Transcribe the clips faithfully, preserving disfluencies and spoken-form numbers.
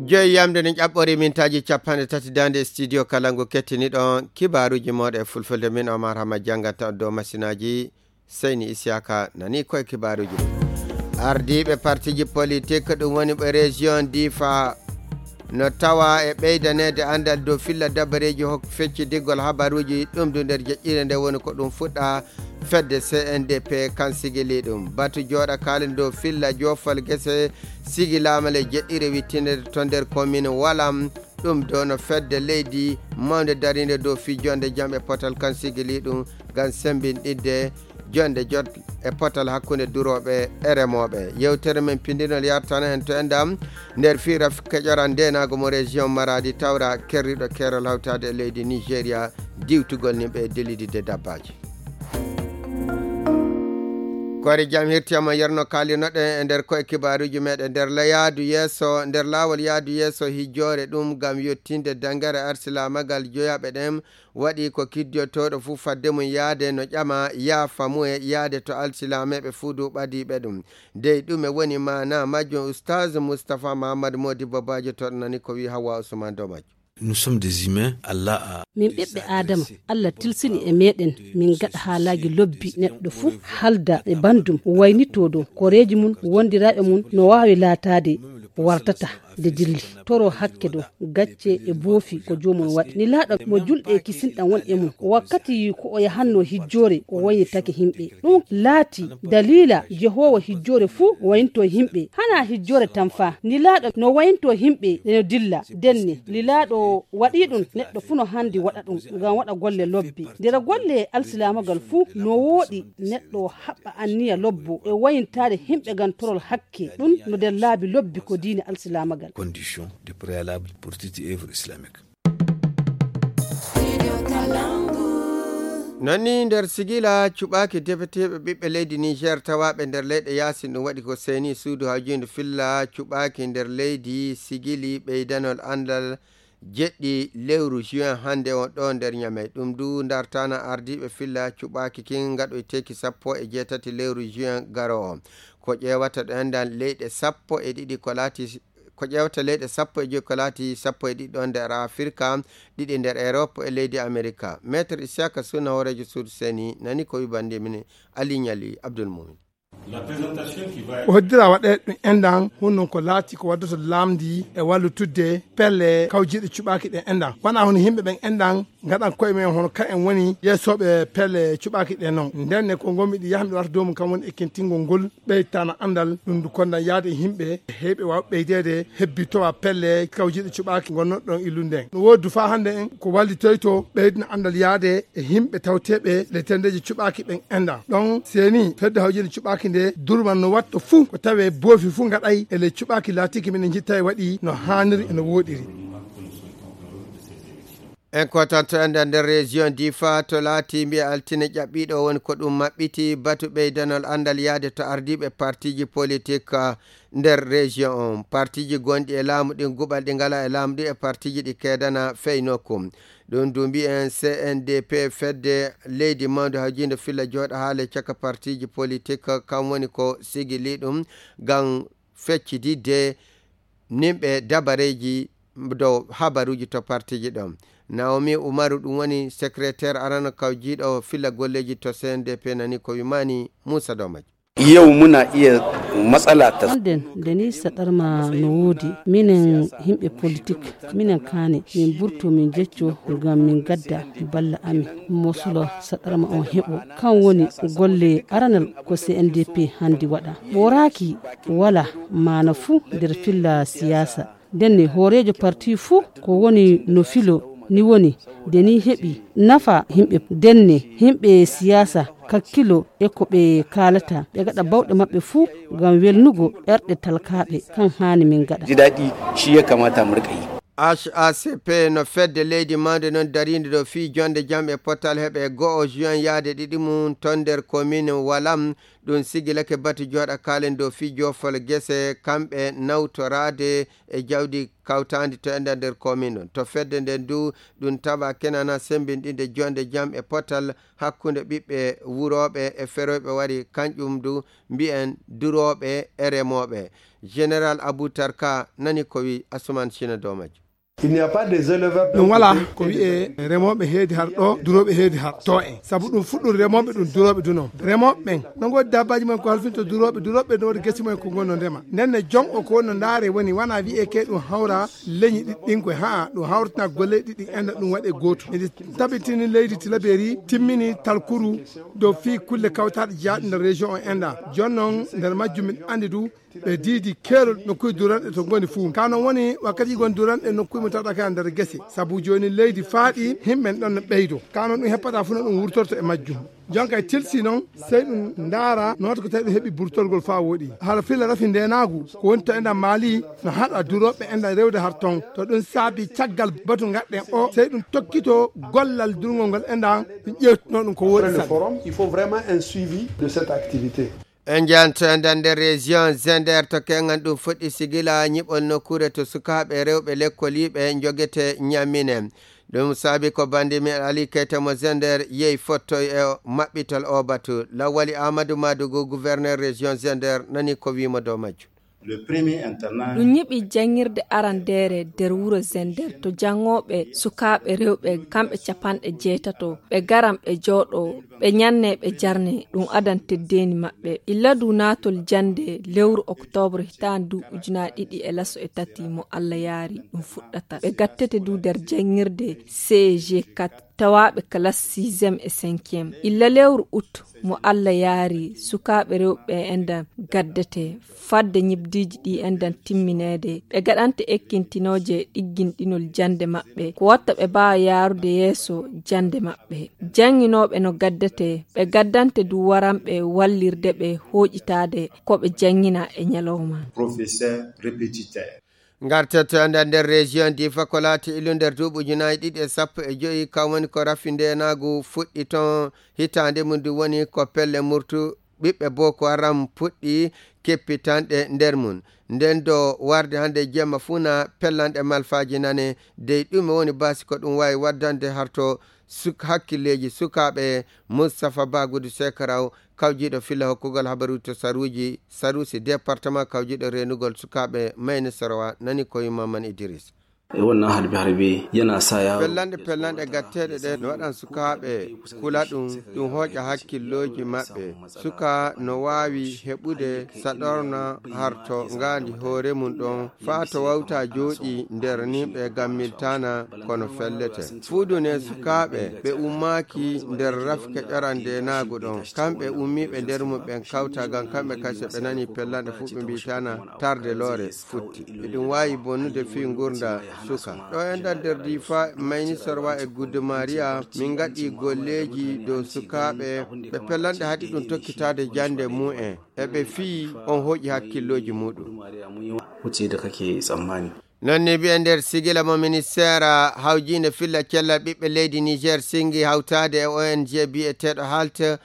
Joyi yamde ne ƴaɓɓori mintaaji capanɗe tati daande studio Kalangu kettiniɗon kibaaruuji mooɗon e fulfulde. Min Omar Hama jannganta on dow masinaaji. Seyni Isiyaka nani koye kibaaruuji ɗin. Ardiiɓe partiiji politik, ɗum woni ɓe région Difa, no tawa e ɓeydaneede anndal dow filla dabareeji hok-, feccidiggol habaruuji, ɗum du nder jeƴƴire nde woni ko ɗum fuɗɗa fedde C N D P kan sigili ɗum. Batu jooɗa kaalen dow filla joofal gese sigilaama le jeɗɗire wittinede to nder commune Walam. Ɗum do no fedde leydi mawnde darinde dow fii jonde jam e potal kan sigili ɗum ngam sembinɗidde jonde jot e potal hakkunde durooɓe e remooɓe. Yewtere men pindinol yartana hen to enɗam nder fii raf keƴoral ndeenaagu mo région Maradi tawra kerriɗo keerol hawtaade e leydi Nigeria diwtugol nimɓe e dilididde dabbaaji. Koore jam hirti ama yerno kaalinoɗen e nder koye kibaaruuji meɗen nder la-, yaadu yeeso, nder laawol yaadu yeeso hijjoore ɗum ngam yottinde dangere arsilaamagal joyaɓe ɗen waɗi ko kiddiyotooɗo fuu fadde mum yaade no ƴama yaafa mu'e yaade to alsilaameeɓe fuu du ɓadiiɓe ɗum. Dey ɗume woni maana majjum? Ustaz Mustapha Mahamad Modibo Bajo to nani ko wi Hawwa Usman dow majjum. Nous sommes des humains, Allah a Min ɓiɓɓe Aadama, Allah tilsini e meɗen min gaɗa haalaaji lobbi neɗɗo fuu halda e bandum waynitoo dow koreeji mum wondiraaɓe mum no waawi laataade wartata nde dilli. Toro hakke dow gacce e boofi ko joomum waɗi. Nilaaɗo mo julɓe kisinɗan won e mum. Wakkati ko o yahanno hijjoore, o waynitake himɓe. Ɗum laati daliila Jehoowa hijjoore fuu waynitoo himɓe. Hanaa hijjoore tan faa. Nilaaɗo no waynitoo himɓe no dilla. Denne, Nilaaɗo waɗii ɗum, neɗɗo fuu no handi waɗa ɗum, ngam waɗa golle lobbe. Nder golle alsilaamagal fuu, no wooɗi neɗɗo haɓɓa anniya lobbo e waynitaade himɓe ngam torol hakke. Ɗum no nder laabi lobbi ko diine alsilaamagal. Condition de préalable pour toute œuvre islamique. Non ni nder sigila cuɓaaki debeteeɓe ɓiɓɓe leydi Niger tawaaɓe nder leyɗe yaasin ɗum waɗi ko seeni suudu hawjiinde filla cuɓaaki nder leydi sigili ɓeydanol anndal jeɗɗi lewru juin hannde on ɗo nder Ñamey. Ɗum du ndartana ardiiɓe filla cuɓaaki kin ngaɗoyteeki sappo e jeetati lewru juin garo on. Ko ƴeewata ɗo enɗan leyɗe sappo e ɗiɗi ko laati, ko ƴeewata leyɗe sappo e joyi ko laati sappo e ɗiɗi ɗo nder Afirka, ɗiɗi nder Erop e leydi Amerika. Maître Isiyaka Suna hooreejo suudu seeni nani ko wi bandi min Ali Ñali Abdul Mumin. Ko hoddira waɗe ɗum enɗan, hunnon ko laati ko waddoto laamdi e wallitudde pelle kawjiiɗe cuɓaaki ɗen enɗan. Wona hono yimɓe ɓen enɗan ngaɗan koye men hono ka en woni yeesooɓe pelle cuɓaaki ɗen non. Nden ne ko ngonmi ɗi yaha mi warta dow mum kam woni ekkintingol ngol ɓeytana anndal ɗum ndu kondan yaade e yimɓe heewɓe waaw ɓeydeede hebbitowa pelle kawjiiɗe cuɓaaki ngonnoɗon illude nden. No woodi du faa hannde en ko wallitoyto ɓeydina anndal yaade e yimɓe tawteeɓe le tendeeji cuɓaaki ɓen enɗan. Ɗon seeni fedde hawjiiɗe cuɓaaki nde durman no watto fuu ko tawee boofi fuu ngaɗay e le cuɓaaki laatiiki minen njitta e waɗi no haaniri e no wooɗiri. En kotanto enɗan nder région Difa to laati mbiya altine ƴaɓɓiiɗo woni ko ɗum maɓɓiti batu ɓeydanol anndal yaade to ardiiɓe partiiji politik, ah, nder région on. Partiiji gonɗi e laamu ɗin guɓal ɗi ngala e laamu ɗin e partiiji ɗi keedana fey nokku. Ɗum du mbiyen C N D P fedde leydi mawnde hawjiinde filla jooɗa haale caka partiiji politik kam woni ko sigili ɗum ngam feccididde nimɓe dabareeji dow habaruuji to partiiji ɗon. Naomi Umaru ɗum woni secrétaire arano kawjiiɗo filla golleeji to C N D P nani ko wimani Muusa Domaji. Yau muna iya matsala ta Onden nde ni saɗarma no woodi. Minen yimɓe politik, minen kaane, min burto min jecco ngam min gadda balla amin. Mosolo saɗarma on heɓo. Kan woni golle aranal ko C N D P handi waɗa. Ɓooraaki wala maana fuu nder filla siyaasa. Ndenne hooreejo parti fuu ko woni no filo ni woni nde ni heɓi nafa yimɓe. Ndenne yimɓe siyaasa kakkilo e ko ɓe kaalata, ɓe gaɗa bawɗe maɓɓe fuu ngam welnugo ɓerɗe talkaaɓe. Kan haani min gaɗa. Ji daɗi shi ya kamata mu riƙa yi. H A C P no fedde leydi mawnde non dariinde ɗo fii jonde jam e potal heɓe go'o juin yaade ɗiɗi mum ton nder commune Walam. Ɗum sigilake batu jooɗa kaalen dow fii joofol gese, kamɓe nawtoraade e jawdi kawtaandi to enda nder komin ɗon. To fedde nden du, ɗum tawa kenana sembinɗinde jonde jam e potal hakkunde ɓiɓɓe wurooɓe e feroyɓe wari, kanƴum du mbi'en durooɓe e remooɓe. Général Abou Tarka nani ko wi Asuman Sina Domaji. Il n'y a pas des éleveurs d'un Ɗum walaa côté ko et des wiyee éleveurs. Remooɓe heedi har ɗo, durooɓe heedi har to en. Sabu ɗum fuɗɗum remooɓe, ɗum durooɓe du noon. Remooɓe ɓen, no ngoodi dabbaaji mumen ko halfinta durooɓe, durooɓe no woodi gesi mumen ko ngonno ndema. Nden ne jom o ko wonno ndaare woni, wana wiyee ke ɗum hawra leñi ɗiɗi ɗin koye, haa, ɗum hawrata golle ɗiɗi ɗin enda ɗum waɗe gootum. Miɗi tabitini leydi Tilaberi timmini talkuru dow fii kulle kawtaaɗe jeyaaɗe nder région o enda. Jooni noon nder majjum min andi du ɓe diidi keerol nokkuuji duranɗe to ngoni fuu. Ka non woni wakkati gon duranɗe nokkuuji mo tawɗa ka nder gese. Sabu jooni leydi faaɗi, himɓe ɗon no ɓeydo. Ka non ɗum heppata fuu no ɗum wurtorto e majjum. Jonka e tilsi non, sey ɗum ndaara no wata ko tawi ɗum heɓi burtorgol faa woɗi. Hara filla rafi ndeenaagu, ko woni to enda Mali, no haɗa durooɓe enda rewde har ton. To ɗum saabi caggal batu ngaɗɗen o, sey ɗum tokkito gollal durngol ngol enda, ɗum ƴeewtino ɗum ko woɗi Après le saɗi. Forum, il faut vraiment un suivi de cette activité. En njanto enda nder région Zender to kengan ɗum fuɗɗi sigila ñiɓol nokkuure to sukaaɓe rewɓe lekkoliiɓe njogete ñammine. Ɗum saabi ko bandi men Ali Keita mo Zender yehi fottoy e maɓɓitol o batu. Lawali Amadou Madougou, gouverneur région Zender, nani ko wiimo dow majjum. Le premier internat. Ɗum ñiɓi janngirde arandeere nder wuro Zender to janngooɓe sukaaɓe rewɓe kamɓe capanɗe jeetato. Ɓe garan ɓe jooɗo, ɓe ñanne, ɓe jarne, ɗum adan teddeendi maɓɓe. Illa du naatol jannde lewru oktoobre hitaande du ujunaaji ɗiɗi e laso e tati mo Allah yaari ɗum fuɗɗata. Ɓe gattete du nder janngirde C E G quatre, tawaaɓe classe sixième e cinquième. Illa lewru août mo Allah yaari sukaaɓe rewɓe enda gaddete. Fadde ñibdiiji ɗi endan timmineede, ɓe gaɗante ekkintinooje ɗigginɗinol jannde maɓɓe, ko watta ɓe mbaawa yaarude yeeso jannde maɓɓe. Jannginooɓe no gaddete, ɓe gaddante du waranɓe wallirde ɓe hooƴitaade ko ɓe janngina e ñalawma. Professeur répétiteur. Ngarten to enda nder région Difa ko laati ilu nder duuɓi ujunaaji ɗiɗi e sappo e joyi, kam woni ko rafi ndeenaagu fuɗɗi ton hitaande mum du woni ko pelle murtu ɓiɓɓe Boko Haram puɗɗi keppitanɗe nder mum. Nden do warde hannde jemma fuu na pellanɗe malfaaji nane, dey ɗume woni baasi ko ɗum waawi waddande harto suk-, hakkilleeji sukaaɓe? Moustapha Bagudu Sekaraw, kawjiiɗo filla hokkugol habaruuji to saruuji, saruusi département kawjiiɗo reenugol sukaaɓe Mayni Sorowa, nani ko wi Maman Idris. E wannan harbe-harbe yana sa yaro. Pellanɗe, pellanɗe gatteeɗe ɗe no waɗan sukaaɓe kula ɗum, ɗum hooƴa hakkillooji maɓɓe. Suka no waawi heɓude saɗorna harto ngaandi hoore mum ɗon, faa to wawta jooɗi nder nimɓe ngam miltana kono fellete. Fuudu ne sukaaɓe ɓe ummaaki nder rafke ƴoran ndeenaagu ɗon. Kamɓe ummiiɓe nder mum ɓen kawta ngam kamɓe kase ɓe nani pellanɗe fuu ɓe mbiitana tarde loore futti. Eɗum waawi bonnude fii ngurnda suka. Ɗo enɗan nder Difa, Mayni Sorwa e Guddu Maria, min ngaɗi golleeji dow sukaaɓe ɓe pellanɗe haɗi ɗum tokkitaade jannde mu'en. E ɓe fii on hooƴi hakkillooji muɗum. Wuce da kake tsammani. Non ni mbiyen nder sigila mo ministeera hawjiinde filla cellal ɓiɓɓe leydi Niger singi hawtaade e O N G biyeteeɗo Halt.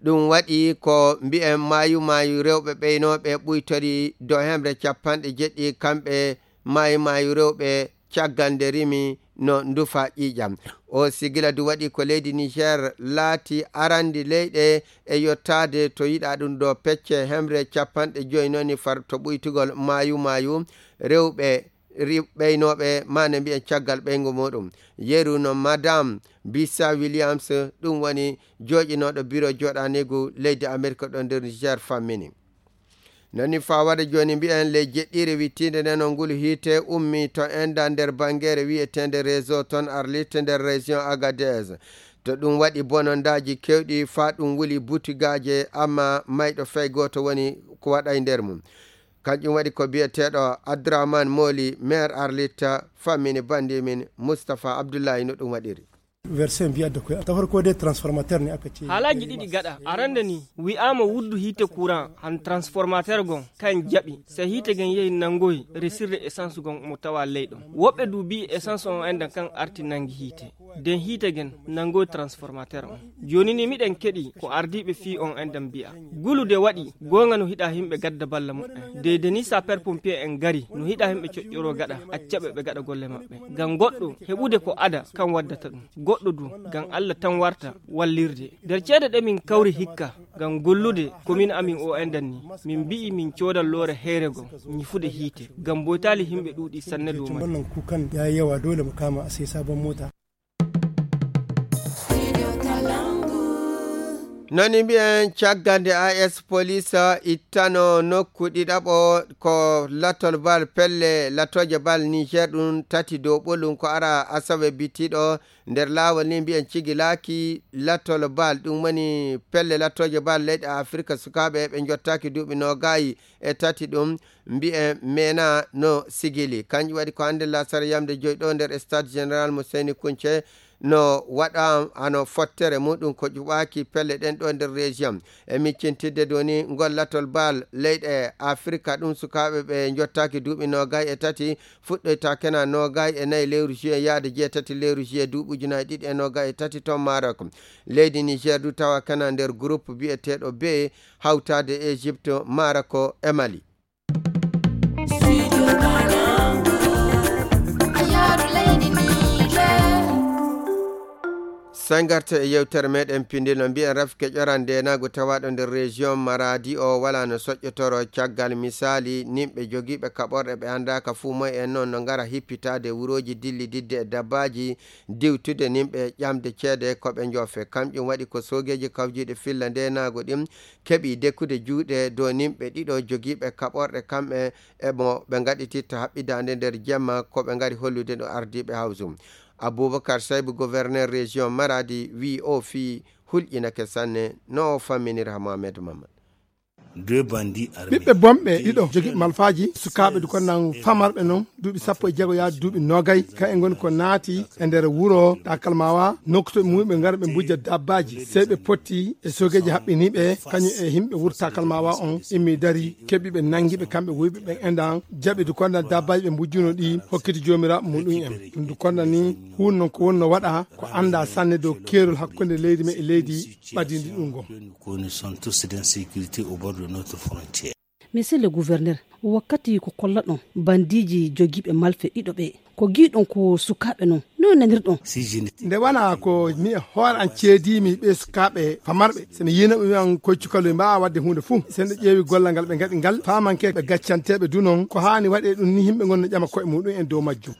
Ɗum waɗi ko mbiyen maayu maayu rewɓe ɓeynooɓe ɓuytori dow hemre capanɗe jeɗɗi, kamɓe maayu maayu rewɓe caggal nde rimi no ndufa ƴiiƴam. O sigila du waɗi ko leydi Niger laati arandi leyɗe e yottaade to yiɗa ɗum ɗo pecce hemre capanɗe joyi noni far to ɓuytugol maayu maayu rewɓe ri-, ɓeynooɓe, maana mbiyen caggal ɓeyngu muɗum. Yeru no Madame Bisa Williams, ɗum woni jooɗinooɗo biro jooɗaniigu leydi Amerika ɗo nder Niger fammini. Nani faa waɗa jooni mbiyen ley jeɗɗiire wittiinde nden on ngulu hiite ummi to enda nder bangeere wiyeteende réseau ton Arlit nder région Agadez. To ɗum waɗi bonondaaji kewɗi faa ɗum wuli butigaaje, amma mayɗo fay gooto woni ko waɗay nder mum. Kanƴum waɗi ko biyeteeɗo Abdourahmane Moli, maire Arlit, fammini bandi min Moustapha Abdoulaye no ɗum waɗiri. Version mbiya da koy ta farko dai transformateur ne aka ce. Haalaaji ɗiɗi gaɗa arande ni wi'aama wuddu hiite courant han transformateur gon kan jaɓi se hiite gen yehi nangoy resirde essence gon mo tawa leyɗon. Woɓɓe du mbi'i essence on endan kan arti nangi hiite den hiite gen nangoy transformateur on. Jooni ni miɗen keɗi ko ardiiɓe fii on endan mbi'a gulude waɗi. Goonga no hiɗa himɓe gadda balla muɓɓen deyde ni saper pompier en gari no hiɗa himɓe coƴƴoro gaɗa accaɓe ɓe gaɗa golle maɓɓe. Ngam goɗɗo heɓude ko ada kan waddata ɗum. Goɗɗo du ngam allah tan warta wallirde nder ceede ɗe min kawri hikka ngam gollude komin amin o endan ni. Min mbi'i min coodan loore heere gom ñifude hiite ngam boytaali himɓe ɗuuɗi sanne dow man. Wannan kukan ya yi yawa, dole mu kama a sai sabon mota. Noni mbiyen caggal nde as police ittano nokku ɗiɗaɓo ko latol bal pelle latoje bal niger ɗum tati dow ɓolum ko ara asawe bitiɗo nder laawol ni mbiyen cigilaaki latol bal ɗum woni pelle latoje bal leyɗe afirka sukaaɓe ɓe jottaaki duuɓi noogayi e tati ɗum mbiyen mena no sigili kanjum waɗi ko hannde lasara yamde joyi ɗo nder stade général mo seyni kunce no waɗa hano fottere muɗum ko ƴuɓaaki pelle ɗen ɗo nder région e miccintidde doni ngol latol bal leyɗe afirka ɗum sukaaɓe ɓe jottaaki duuɓi noogay e tati fuɗɗoyta kena noogay e nayi lewru juillet yaade jeetati lewru juillet duuɓi ujunaji ɗiɗi e noogay e tati ton marok leydi niger du tawa kena nder groupe biyeteɗo be hawtade égypte maroko e mali. Sangarta e yewtere meɗen pindino mbiyen rafke ƴoran ndenagu tawaɗo nder région maradi o wala no soƴƴotoro caggal misali nimɓe jogiiɓe kaɓorɗe ɓe andaka fuu moy en noon no ngara hippitade wuroji dillididde e dabbaji diwtude nimɓe ƴamde ceede ko ɓe jofe kamƴum waɗi ko sogeji kawjiɗe filla ndenagu ɗin keɓi dekkude juuɗe dow nimɓe ɗiɗo jogiiɓe kaɓorɗe kamɓe e mo ɓe ngaɗititta haɓɓidaande nder jemma ko ɓe ngari hollude no ardiiɓe hawsu. Abubakar Saybu gouverneur région maradi wi o fii hulƴinake sanne no o famminira mohamed mamad. Ɓiɓɓe bonɓe ɗiɗo jogiiɓe malfaaji sukaaɓe du konnan famarɓe noon duuɓi sappo e jeego yaade duuɓi noogay ka e ngoni ko naati e nder wuro takalmawa nokkuto muɓe ngara ɓe mbujja dabbaaji sey ɓe potti e sogeeji haɓɓiniiɓe kañum e yimɓe wuro takalmawa on immi dari keɓi ɓe nangi ɓe kamɓe wuyɓe ɓen endan jaɓi du konnan dabbaaji ɓe mbujjuno ɗi hokkiti joomiraaɓe muɗum en ɗum du konnan ni huun noon ko wonno waɗa ko annda sanne dow keerol hakkunde leydi men e leydi ɓadindi ɗum ngo. Monsieur le gouverneur, wakkati ko kollaɗon bandiiji jogiiɓe malfe ɗiɗo ɓe ko giiɗon ko sukaaɓe non no nanirɗon? Nde wona ko mi e hoore an ceediimi ɓe sukaaɓe famarɓe so mi yiino ɓe wiyan koye cukalel mbawa wadde huunde fuu so en ƴeewi gollal ngal ɓe ngaɗi ngal famanke ɓe gaccanteeɓe du non ko haani waɗe ɗum ni yimɓe ngon no ƴama koye muɗum en dow majjum.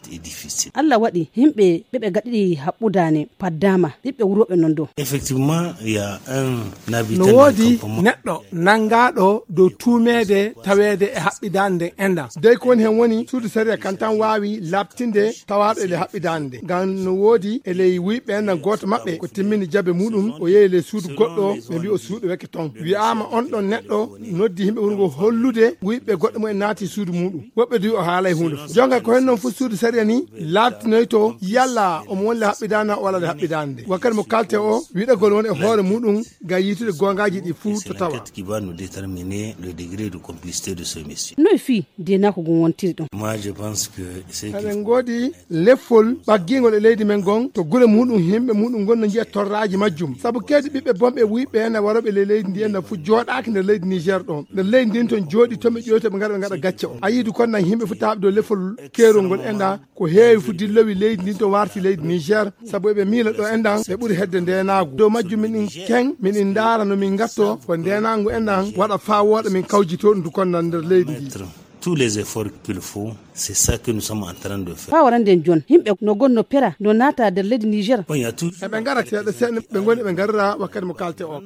Allah waɗi yimɓe ɓe ɓe gaɗiɗi haɓɓudaane paddaama ɓiɓɓe wurooɓe non dow. Effectivement il y a un habitant no woodi neɗɗo nangaaɗo dow tuumeede taweede e haɓɓidaande nden enɗan dey ko woni heen woni suudu sariya kan tan waawi laaɓtinde tawaaɗo e ley haɓɓidaande nde ngam no woodi e ley wuyɓe enɗan gooto maɓɓe ko timmini jabe muɗum o yehi ley suudu goɗɗo ɓe mbi o suuɗoweke ton wiyaama on ɗon neɗɗo noddi yimɓe wuro ngo hollude wuyɓe goɗɗo mumen naati suudu muɗum woɓɓe du o haalay huunde fof jonga ko hen noon fof suudu sariya ni laaɓtinoyto yalla omo woni le haɓɓidaande o walla le haɓɓidaande nde wakkati mo kalte o wiɗagol won e hoore muɗum ngam yiitude goongaaji ɗi fuu to tawa. Qui va nous déterminer le degré de complicité de ce monsieur. Noy fii deenaako ngon wontiri ɗum? Moi je pense que c'est eɗen ngoodi leffol ɓaggiingol e leydi men ngon to gure muɗum yimɓe muɗum ngon no njiya torraaji majjum sabu keedi ɓiɓɓe bonɓe wuyɓe en e warooɓe ley leydi ndi en no fof jooɗaaki nder leydi niger ɗon nder leydi ndin ton jooɗi toon ɓe ƴoyto ɓe ngara ɓe ngaɗa gacce o a yiidu kon nan yimɓe fof taaɓe dow leffol keerol ngol enɗan ko heewi fof dillowi leydi ndin to warti leydi niger sabu eɓe miila ɗo enɗan ɓe ɓuri hedde ndenaagu dow majjum minin ken minin ndaara no min ngatto ko ndenaagu enɗan waɗa faa wooɗa min kawjito ɗum du kon nan nder leydi ndi. Tous les efforts qu'il faut, c'est ça que nous sommes en train de faire. Faa warande en joon yimɓe no gonno pera no naata nder leydi niger. Eɓe ngara seeɗa seeɗa ɓe ngoni ɓe ngarira wakkati mo kalte o.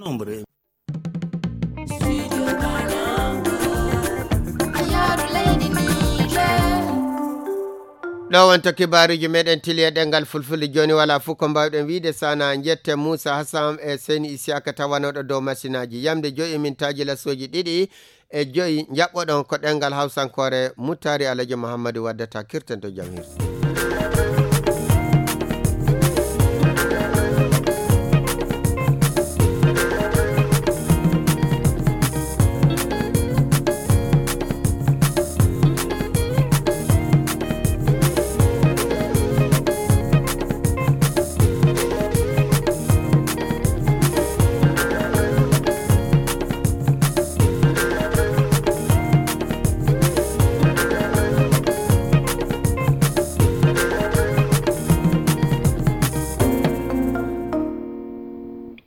Ɗo wonto kibaaruuji meɗen tili e ɗenngal fulfulde jooni wala fof ko mbawɗen wiide sana jette moussa hassam e seyni isiyaka tawanoɗo dow masinaaji yamde joyi e mintaaji lasooji ɗiɗi e joyi jaɓɓoɗon ko ɗenngal hawsankoore muttaari alaji mouhammadou waddata kirten to jam hirsi.